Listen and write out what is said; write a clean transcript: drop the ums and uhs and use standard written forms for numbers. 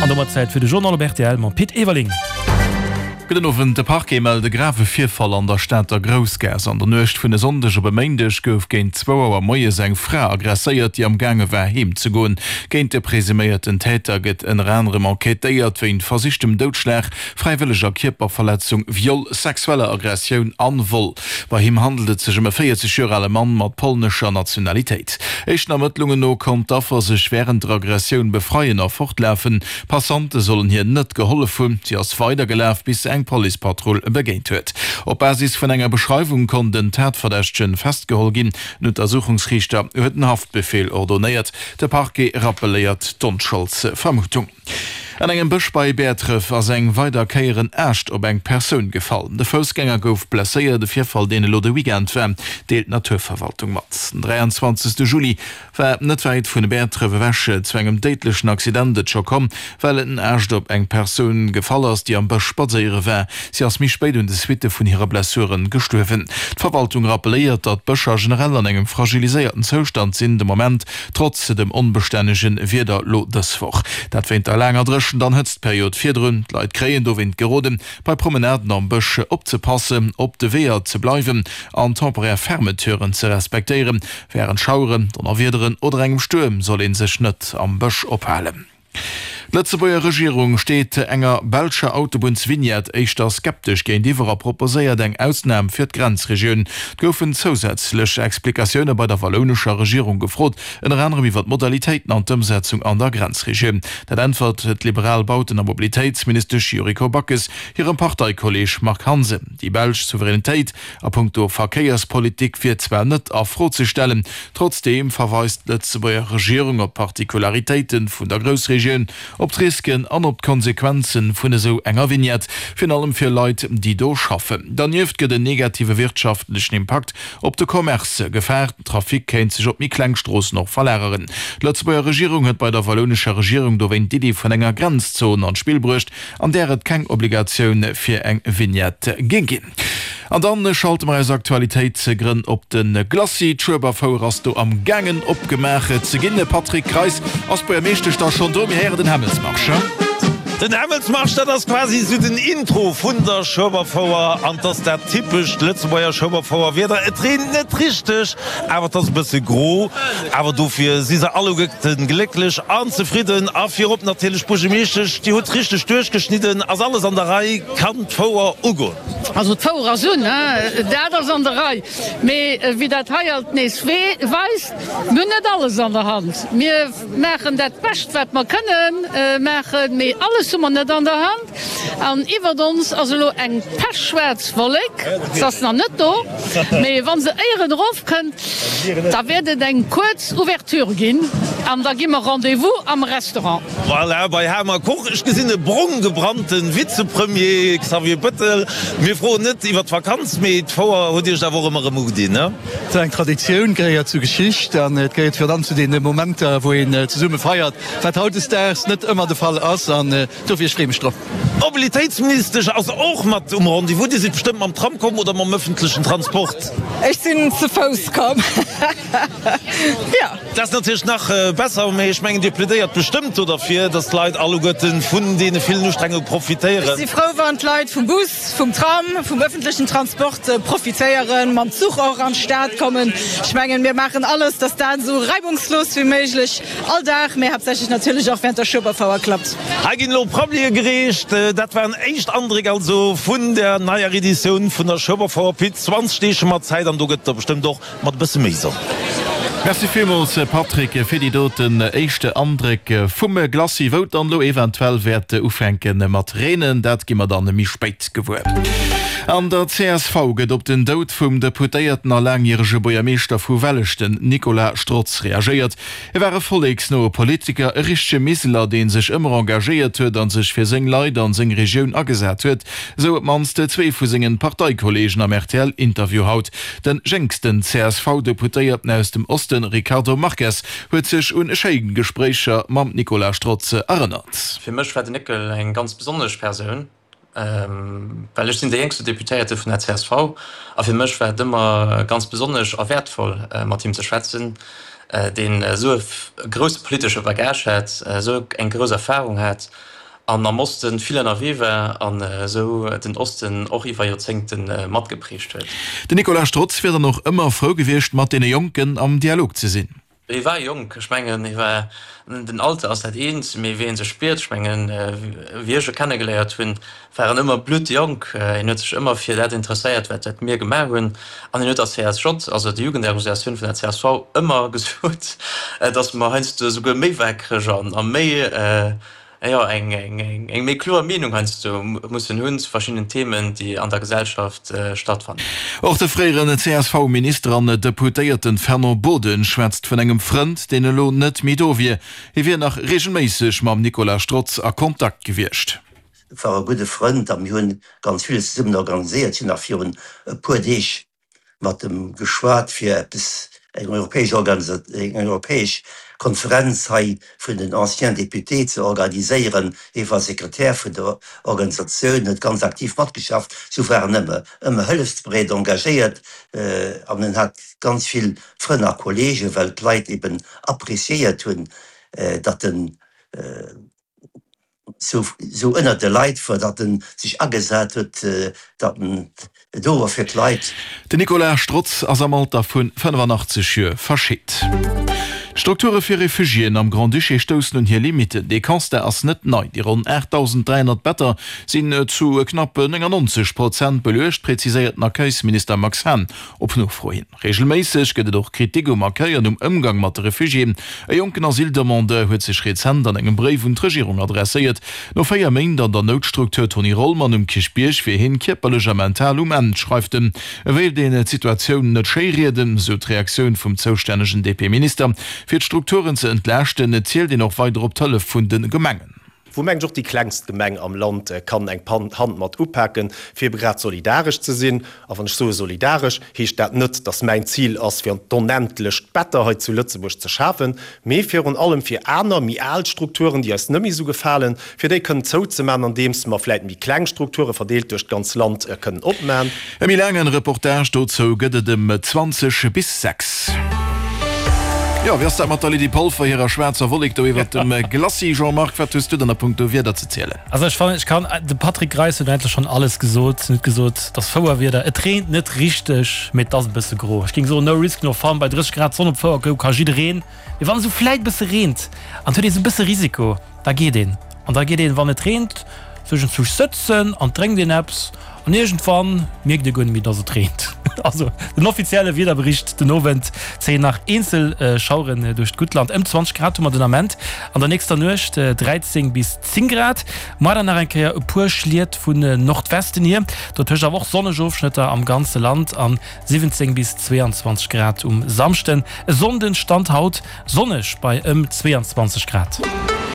An domat Zäit fir de Journal op rtl mam Pit Everling. Gudden Owend. De Parquet mellt e grave Virfall an der Stater Groussgaass. An der Nuecht vun e Sonndeg op e Méindeg gouf géint zwou Auer moies eng Fra aggresséiert, déi am gaange war heem ze goen. Géint de presuméierten Täter gëtt ënner anerem enquêtéiert wéint versichtem Doudschlag, fräiwëlleger Kierperverletzung, Viol, sexueller Aggressioun an Vol. Bei him handelt et sech ëm e 40 Joer ale Mann mat polnescher Nationalitéit. Éischten Ermëttlungen no konnt d'Affer sech wärend der Aggressioun befreien a fortlafen. Passante sollen hir net gehollef hunn. Si ass weidergelaf, bis se eng Policepatrull begéint huet. Op Basis vun enger Beschreiwung konnt en Tatverdächtegen festgeholl ginn. Den Untersuchungsriichter huet en Haftbefeel ordonéiert. De Parquet rappelléiert d'Onscholdsvermutung. An engem Bësch bei Bäertref ass eng weider Kéier en Aascht op eng Persoun gefall. De Foussgänger gouf blesséiert. E Virfall, deen elo de Weekend war, deelt d'Naturverwaltung mat. Den 23. Juli war net wäit vun Bäertref ewech zu engem déidlechen Accident et scho komm, well en Aascht op eng Persoun gefall ass, déi am Bësch spadséiere war. Si ass méi spéit un de Suitte vun hire Blessuren gestuerwen. D'Verwaltung rappelléiert, datt d'Bëscher generell an engem fragiliséierten Zoustand sinn de Moment. Trotz dem onbestännege Wieder lo dës Woch, dat wéint der laanger Dréchent an Hëtztperiod virdrun. D'Leit kréien dowéint geroden, bei Promenaden am Bësch opzepassen, op de Weeër ze bleiwen an temporär Fermeturen ze respektéieren. Wärend Schaueren, Donnerwiederen oder engem Stuerm soll ee sech net am Bësch ophalen. D'Lëtzebuerger Regierung steet enger belscher Autobunnsvignette éischter skeptesch géintiwwer a proposéiert eng Ausnam fir d'Grenzregioun. Et goufen zousätzlech Explikatioune bei der wallounescher Regierung gefrot, ënner anerem iwwer d'Modalitéiten an d'Ëmsetzung an der Grenzregioun. Dat äntwert d'liberal Bauten a Mobilitéitsministesch Yuriko Backes hirem Parteikolleeg Marc Hansen. Déi belsch Souveränitéit A punkto Verkéierspolitik wier zwar net a Fro ze stellen, trotzdeem verweist d'Lëtzebuerger Regierung op d'Particularitéite vun der Groussregioun, op d'Risken an op d'Konsequenze vun esou enger Vignette, virun allem fir Leit, déi do schaffen. Dernieft gëtt en negative wirtschaftlechen Impakt op de Commerce gefaart, den Trafic kéint sech op méi kleng Stroossen och verlageren. D'Lëtzebuerger Regierung huet bei der wallounescher Regierung dowéint d'Iddi vun enger Grenzzon an d'Spill bruecht, an där et keng Obligatioun fir eng Vignette géing ginn. An dann schalte mer eis Aktualitéitsgrënn op de Glacis. D'Schueberfouer ass do am gaangen opgemaach ze ginn. Patrick Greis, ass d'Buergermeeschtesch da schonn do? Mir héieren den Hämmelsmarsch. Den Hämmelsmarsch, dat ass quasi esou den Intro vun der Schueberfouer an 't ass dat typescht Lëtzebuerger Schueberfouerwieder. Et reent net richteg, awer 't ass e bësse gro. Awer dofir si se alleguerten glécklech an zefridden a virop natierlech d'Buergermeeschtesch, déi huet richteg duerchgeschnidden. Ass alles an der Rei? Kann d'Fouer ugoen? Also d'Fouer ass un, dat ass an der Rei. Mee wéi dat hei alt nees weist, mir hunn net alles an der Hand. Mir maachen dat Bescht, wat mer kënne maachen, mee alles hu mer net an der Hand. An iwwert ons ass elo eng pechschwaarz Wollek. Se ass nach net do, mee wa se éieren erofkënnt, da wäert et eng kuerz Ouverture ginn an da gi mer Rendez-vous am Restaurant. Voilà, bei Hamer Koch. Ech gesinn e brong gebrannte Vizepremier Xavier Bettel. Mir froen net iwwer d'Vakanz, mee d'Fouer huet Iech awer och ëmmer erëm ugedinn, ne? Et ass eng Traditioun, gehéiert zur Geschicht an et gehéiert virun allem zu deene Momenter, wou een zesumme feiert, wat hautdesdaags net ëmmer de Fall ass. An dofir, ech freeë mech drop. D'Mobilitéitsministesch ass och mat um Rendez-vous. Dir sidd bestëmmt mam Tram komm oder mam ëffentlechen Transport? Ech sinn ze Fouss komm, jo. Dat ass natierlech nach besser, mee ech mengen, Dir plädéiert bestëmmt do derfir, datt d'Leit alleguerte vun deene villen Ustrengunge profitéieren. Ech si frou, wann d'Leit vum Bus, vum Tram, vum ëffentlechen Transport profitéieren, mam Zuch och an d'Stad kommen. Ech mengen, mir maachen alles, datt dat esou reibungslos wéi méiglech all Dag, mee haaptsächlech natierlech och während der Schueberfouer klappt. Hei ginn elo Prabblie gereecht. Dat waren éischt Andréck also vun der neier Editioun vun der Schueberfouer. Pit, 20 Deeg hu mer Zäit an do gëtt et der bestëmmt och Mat e bësse méi Sonn. Merci villmools Patrick fir déi doten éischte Andréck vum Glacis. Wou et dann elo eventuell wäert ufänke mat reenen, dat gi mer dann méi spéit gewuer. An der csv gëtt op den Doud vum Deputéierten a laangjärege Buergermeeschter vu Welleschten, Nicolas Strotz, reagéiert. E war e volleksnoe Politiker, e richtege Miseler, dee sech ëmmer engagéiert huet a sech fir seng Leit an seng Regioun agesat huet, esou op d'mannst zwee vu sengen Parteikolleegen am RTL-Interview haut. Den jéngsten CSV-Deputéierten aus dem Osten, Ricardo Marques, huet sech un schéi Gespréicher mam Nicolas Strotz erënnert. Fir mech war den Néckel eng ganz besonnesch Persoun. Well ech sinn dee jéngste Deputéierte vun der csv a fir mech war et ëmmer ganz besonnesch a wäertvoll, mat him ze schwätzen, deen esou e grousse politesche Bagage hat, esou eng grouss Erfarung hat. an am Osten vill ënnerwee war an esou den Osten och iwwer Joerzéngte matgeprägt huet. Den Nicolas Strotz wier dann och ëmmer frou gewiescht, mat deene Jonken am Dialog ze sinn. Hie war jonk, ech mengen, hie war, den Alter ass dat eent, mee wéi ee sech spiert, ech mengen, wéi ech e kennegeléiert hunn, war en ëmmer bluttjonk. Hien huet sech ëmmer fir dat interesséiert, wat wat mir gemaach hunn. An hien huet der CSJ, also der Jugendorganisatioun vun der csv, ëmmer gesot, datt mer heiansdo esouguer méi waakreg an a méi, jo, eng eng méi kloer Meenung heiansdo mussen hunn zu verschiddenen Themen, déi an der Gesellschaft stattfannen. Och de fréieren CSV-Minister an Deputéierten Fernand Boden schwätzt vun engem Frënd, deen elo net méi do wier. Hie wier nach reegelméisseg mam Nicolas Strotz a Kontakt gewiescht. Et war e gudde Frënd a mir hunn ganz villes zesummen organiséiert. Ech hunn nach virun e puer Deeg mat em geschwat fir eppes, eng europäesch Organisa, eng europäesch Konferenz hei vun den Anciens Députés ze organiséieren. Hie war Sekretär vun der Organisatioun, huet ganz aktiv matgeschafft. Sou war en ëmmer, ëmmer hëllefsbereet, engagéiert an en hat ganz vill Frënn a Kollegen, well d'Leit eben appréciéiert hunn, datt en sou ënnert de Leit wor, datt en sech agesat huet, datt en do wor fir d'Leit. Den Nicolas Strotz ass am Alter vun 85 Joer verscheet. D'Strukture fir Refugiéen am Grand-Duché stoussen un hir Limitten. Dee Constat ass net nei. Déi ronn 8.300 Better sinn zu knapp 99 Prozent beluecht, präziséiert den Accueilsminister Max Hahn op Nofro hin. Reegelméisseg gëtt et och Kritik um Accueil an um Ëmgang mat de Refugiéen. E jonken Asyldemandeur huet sech rezent an engem Bréif un d'Regierung adresséiert. No 4 Méint an der Noutstruktur Tony Rollmann um Kierchbierg wier hien kierperlech a mental um Enn, schreift en. E wéilt een d'Situatioun net schéi rieden, sou d'Reaktioun vum zoustännegen DP-Minister. Fir d'Strukturen ze entlaaschten, zielt een och weider op d'Hëllef vun de Gemengen. Wou mengen ech och déi klengst Gemeng am Land kann eng Hand mat upaken, fir ebe grad solidaresch ze sinn. A wann ech soe solidaresch, heescht dat net, datt mäin Zil ass, fir d'onendlecht Better hei zu Lëtzebuerg ze schafen, mee virun allem fir aner, méi al Strukturen, déi eis net méi esou gefalen, fir déi kënnen zouzemaachen, andeems mer vläit méi kleng Strukture verdeelt duerch d'ganz Land kënnen opmaen. E méi laangen Reportage dozou gëtt et ëm 20 bis 6. Jo, wéi ass dat mat der Lydie Polfer hirer schwaarzer Wollek do iwwert dem Glacis? Jean-Marc, wat hues du dann a punkto Wieder ze zielen? Also ech fannen, ech kann, de Patrick Greis huet eigentlech schonn alles gesot. En huet gesot, et ass Fouerwieder, et reent net richteg, mee et ass e bësse gro. Ech géing soen, no risk, no fun, bei 30 Grad Sonn op Fouer goe ka jiddereen. Mee wann esou vläit e bësse reent an et huet ee sou e bësse Risiko, da geet een. An da geet een, wann et reent, sech en Zuch sëtzen an drénkt een eppes an iergendwann mierkt ee guer net méi, dass et reent. Also den offizielle Wiederbericht den Owend zéien nach eenzel Schaueren duerch d'gutt Land. Ëm 20 Grad hu mer den Ament, an der nächster Nuecht 13 bis 10 Grad. Muar dann nach eng Kéier e puer Schliet vun Nordwesten hier, dotëscht awer och sonneg Ofschnëtter am ganze Land an 17 bis 22 Grad um Samschden. E Sonnden Stand haut sonneg bei ëm 22 Grad.